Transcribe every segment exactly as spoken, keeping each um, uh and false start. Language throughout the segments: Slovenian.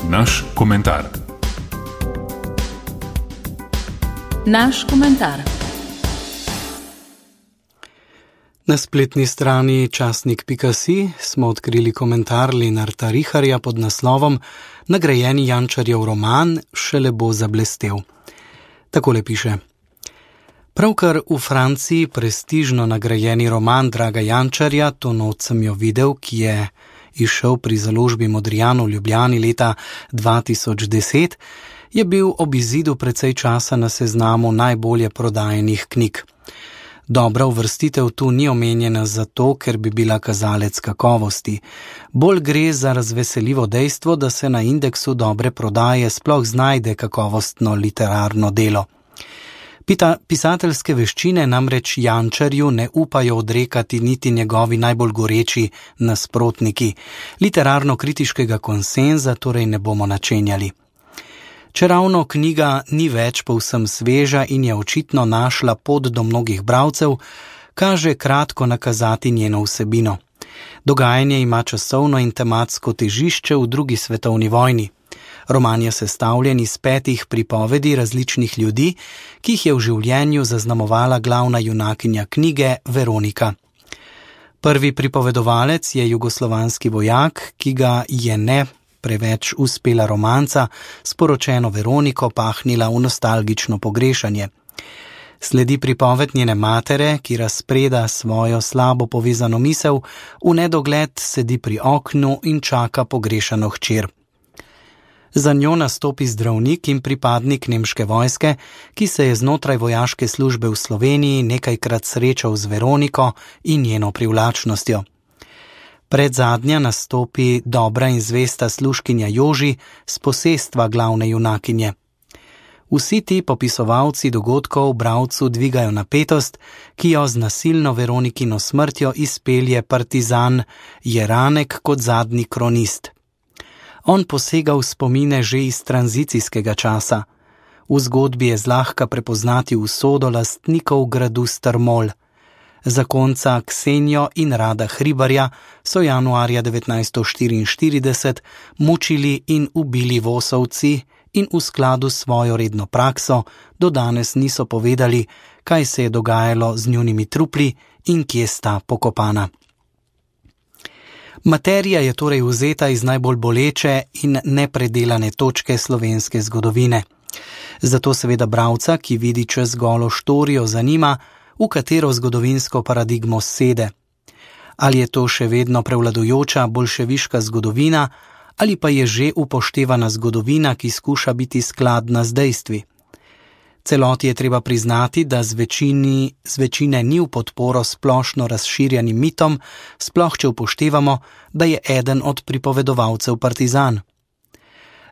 Naš komentar. Naš komentar. Na spletni strani časnik pika si smo odkrili komentar Lenarta Riharja pod naslovom Nagrajeni Jančarjev roman šele bo zablestel. Takole piše. Pravkar v Franciji prestižno nagrajeni roman Draga Jančarja, to noč sem jo videl, ki je izšel pri založbi Modrijan v Ljubljani leta dva tisoč deset, je bil ob izidu precej časa na seznamu najbolje prodajenih knjig. Dobra uvrstitev tu ni omenjena zato, ker bi bila kazalec kakovosti. Bolj gre za razveseljivo dejstvo, da se na indeksu dobre prodaje sploh znajde kakovostno literarno delo. Pita, pisateljske veščine namreč Jančarju ne upajo odrekati niti njegovi najbolj goreči nasprotniki. Literarno-kritiškega konsenza torej ne bomo načenjali. Čeravno knjiga ni več povsem sveža in je očitno našla pot do mnogih bralcev, kaže kratko nakazati njeno vsebino. Dogajanje ima časovno in tematsko težišče v drugi svetovni vojni. Roman je sestavljen iz petih pripovedi različnih ljudi, ki jih je v življenju zaznamovala glavna junakinja knjige Veronika. Prvi pripovedovalec je jugoslovanski vojak, ki ga je ne preveč uspela romanca s poročeno Veroniko pahnila v nostalgično pogrešanje. Sledi pripoved njene matere, ki razpreda svojo slabo povezano misel, v nedogled sedi pri oknu in čaka pogrešano hčer. Za njo nastopi zdravnik in pripadnik nemške vojske, ki se je znotraj vojaške službe v Sloveniji nekajkrat srečal z Veroniko in njeno privlačnostjo. Predzadnja nastopi dobra in zvesta služkinja Joži s posestva glavne junakinje. Vsi ti popisovalci dogodkov bralcu dvigajo napetost, ki jo z nasilno Veronikino smrtjo izpelje partizan Jeranek kot zadnji kronist. On posega v spomine že iz tranzicijskega časa. V zgodbi je zlahka prepoznati usodo lastnikov gradu Strmol. Zakonca Ksenijo in Rada Hribarja so januarja devetnajststo štiriinštirideset mučili in ubili Vosovci in v skladu s svojo redno prakso do danes niso povedali, kaj se je dogajalo z njunimi trupli in kje sta pokopana. Materija je torej vzeta iz najbolj boleče in nepredelane točke slovenske zgodovine. Zato seveda bralca, ki vidi čez golo štorijo, zanima, v katero zgodovinsko paradigmo sede. Ali je to še vedno prevladujoča bolševiška zgodovina, ali pa je že upoštevana zgodovina, ki skuša biti skladna z dejstvi. Celoti je treba priznati, da z, večini, z večine ni v podporo splošno razširjenim mitom, sploh če upoštevamo, da je eden od pripovedovalcev partizan.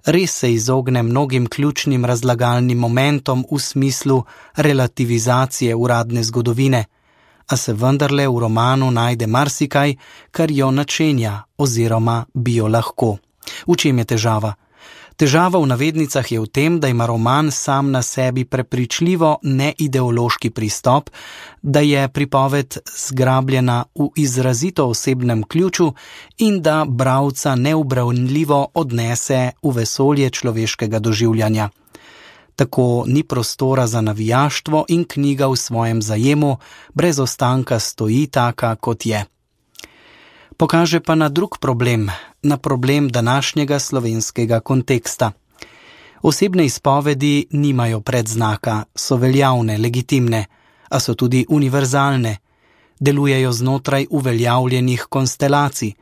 Res se izogne mnogim ključnim razlagalnim momentom v smislu relativizacije uradne zgodovine, a se vendarle v romanu najde marsikaj, kar jo načenja oziroma bi jo lahko. V čem je težava? Težava v navednicah je v tem, da ima roman sam na sebi prepričljivo neideološki pristop, da je pripoved zgrabljena v izrazito osebnem ključu in da bralca neubranljivo odnese v vesolje človeškega doživljanja. Tako ni prostora za navijaštvo in knjiga v svojem zajemu brez ostanka stoji taka, kot je. Pokaže pa na drug problem, na problem današnjega slovenskega konteksta. Osebne izpovedi nimajo predznaka, so veljavne, legitimne, a so tudi univerzalne. Delujejo znotraj uveljavljenih konstelacij.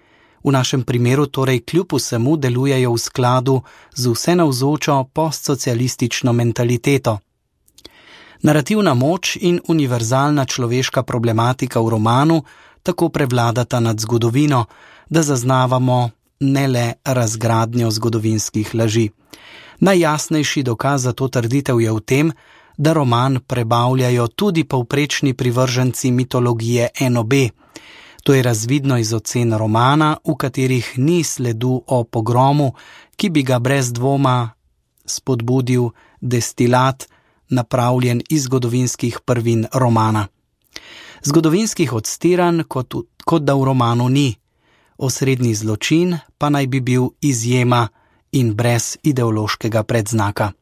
V našem primeru torej kljub vsemu delujejo v skladu z vsenavzočo postsocialistično mentaliteto. Narativna moč in univerzalna človeška problematika v romanu tako prevladata nad zgodovino, da zaznavamo ne le razgradnjo zgodovinskih laži. Najjasnejši dokaz za to trditev je v tem, da roman prebavljajo tudi povprečni privrženci mitologije N O B. To je razvidno iz ocen romana, v katerih ni sledu o pogromu, ki bi ga brez dvoma spodbudil destilat, napravljen iz zgodovinskih prvin romana. Zgodovinskih odstiranj, kot, kot da v romanu ni. Osrednji zločin pa naj bi bil izjema in brez ideološkega predznaka.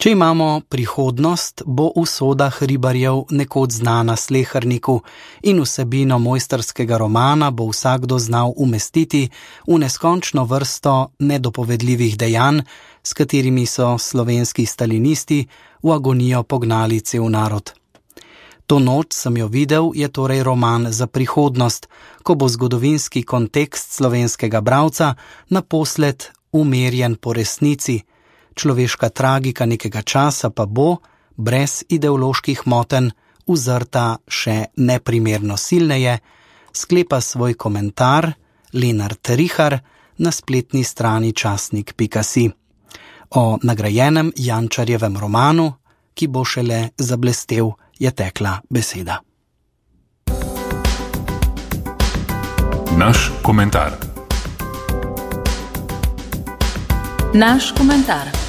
Če imamo prihodnost, bo usoda Hribarjev nekoč znana sleherniku in vsebino mojstrskega romana bo vsakdo znal umestiti v neskončno vrsto nedopovedljivih dejanj, s katerimi so slovenski stalinisti v agonijo pognali cel narod. To noč sem jo videl je torej roman za prihodnost, ko bo zgodovinski kontekst slovenskega bralca naposled umerjen po resnici, človeška tragika nekega časa pa bo, brez ideoloških motenj, uzrta še neprimerno silneje, sklepa svoj komentar Lenart Rihar na spletni strani časnik pika si. O nagrajenem Jančarjevem romanu, ki bo šele zablestel, je tekla beseda. Naš komentar. Naš komentar.